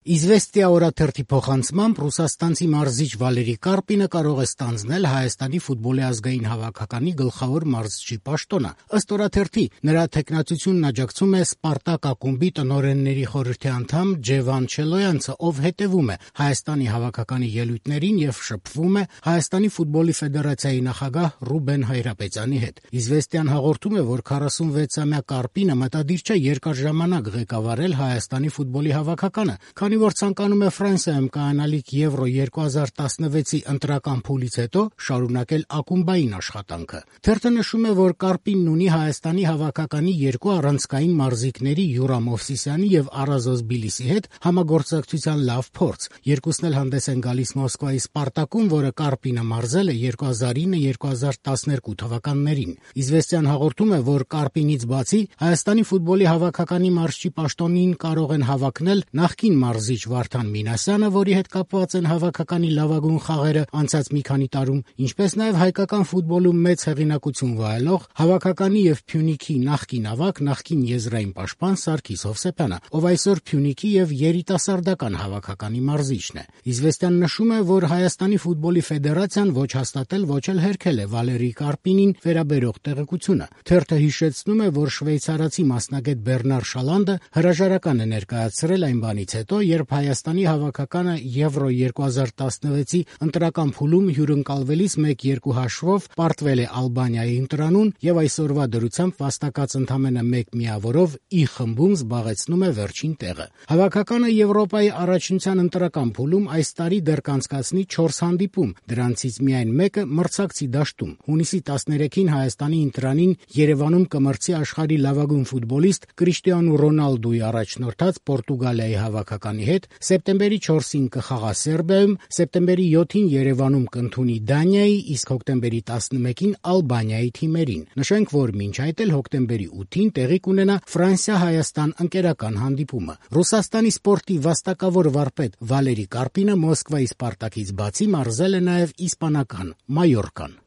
Իզվեստիա օրաթերթի փոխանցմամբ ռուսաստանցի մարզիչ Վալերի Կարպինը կարող է ստանձնել Հայաստանի ֆուտբոլի ազգային հավաքականի գլխավոր մարզչի պաշտոնը։ Ըստ օրաթերթի, նրա թեկնածությունն աջակցում է «Սպարտակ» ակումբի տնօրենների խորհրդի անդամ Ջևան Չելոյանցը, ով հետևում է Հայաստանի հավաքականի ելույթներին եւ շփվում է Հայաստանի ֆուտբոլի ֆեդերացիայի նախագահ Ռուբեն Հայրապետյանի հետ։ Իզվեստիան հաղորդում է, որ 46-ամյա Կարպինը մտադիր չէ երկար ժամանակ ղեկավարել Հայաստանի ֆուտբոլի հավաքականը, քանի որ ցանկանում է Ֆրանսիայում կայանալիք Եվրո 2016-ի ընտրական փուլից հետո շարունակել ակումբային աշխատանքը։ Թերթը նշում է, որ Կարպինն ունի Հայաստանի հավաքականի երկու առանցքային մարզիկների Յուրա Մովսիսյանի եւ Արազոս Բիլիսի հետ համագործակցության լավ փորձ։ Երկուսն էլ հանդես են գալիս Մոսկվայի Սպարտակում, որը Կարպինը մարզել է 2009-2012 թվականներին։ Իզվեստիան հաղորդում է, որ Կարպինից բացի Հայաստանի ֆուտբոլի հավաքականի մարզչի պաշտոնին կարող են հավակնել նախկին մարզիչ Վարդան Մինասյանը, որի հետ կապված են հավաքականի լավագույն խաղերը անցած մի քանի տարում, ինչպես նաև հայկական ֆուտբոլում մեծ հեղինակություն վայելող հավաքականի եւ Փյունիկի նախկին ավագ, նախկին եզրային պաշտպան Սարգիս Հովսեփյանը, ով այսօր Փյունիկի եւ երիտասարդական հավաքականի մարզիչն է։ Իզվեստիան նշում է, որ Հայաստանի ֆուտբոլի ֆեդերացիան ոչ հաստատել, ոչ էլ հերքել է Վալերի Կարպինին վերաբերող տեղեկությունը։ Թերթը հիշեցնում է, որ շվեյցարացի մասնագետ Բեռնար Շալանդը հրաժարական է ներկայացրել այն բանից հետո, երբ Հայաստանի հավաքականը Եվրո 2016-ի ընտրական փուլում հյուրընկալվելիս 1-2 հաշվով պարտվել է Ալբանիայի ընտրանուն եւ այսօրվա դրությամբ վաստակած ընդամենը 1 միավորով I խմբում զբաղեցնում է վերջին տեղը։ Հավաքականը Եվրոպայի առաջնության ընտրական փուլում այս տարի դեռ կանցկացնի 4 հանդիպում, դրանցից միայն մեկը մրցակցի դաշտում։ Հունիսի 13-ին Հայաստանի ընտրանին Երևանում կմրցի աշխարհի լավագույն ֆուտբոլիստ Կրիշտիանու Ռոնալդուի առաջնորդած Պորտուգալիայի հավաքականի հետ, սեպտեմբերի 4-ին կխաղա Սերբիայում, սեպտեմբերի 7-ին Երևանում կընդունի Դանիայի, իսկ հոկտեմբերի 11-ին Ալբանիայի թիմերին։ Նշենք, որ մինչ այդ էլ հոկտեմբերի 8-ին տեղի կունենա Ֆրանսիա-Հայաստան ընկերական հանդիպումը։ Ռուսաստանի սպորտի վաստակավոր վարպետ Վալերի Կարպինը Մոսկվայի Սպարտակից բացի մարզել է նաև իսպանական Մայորկան։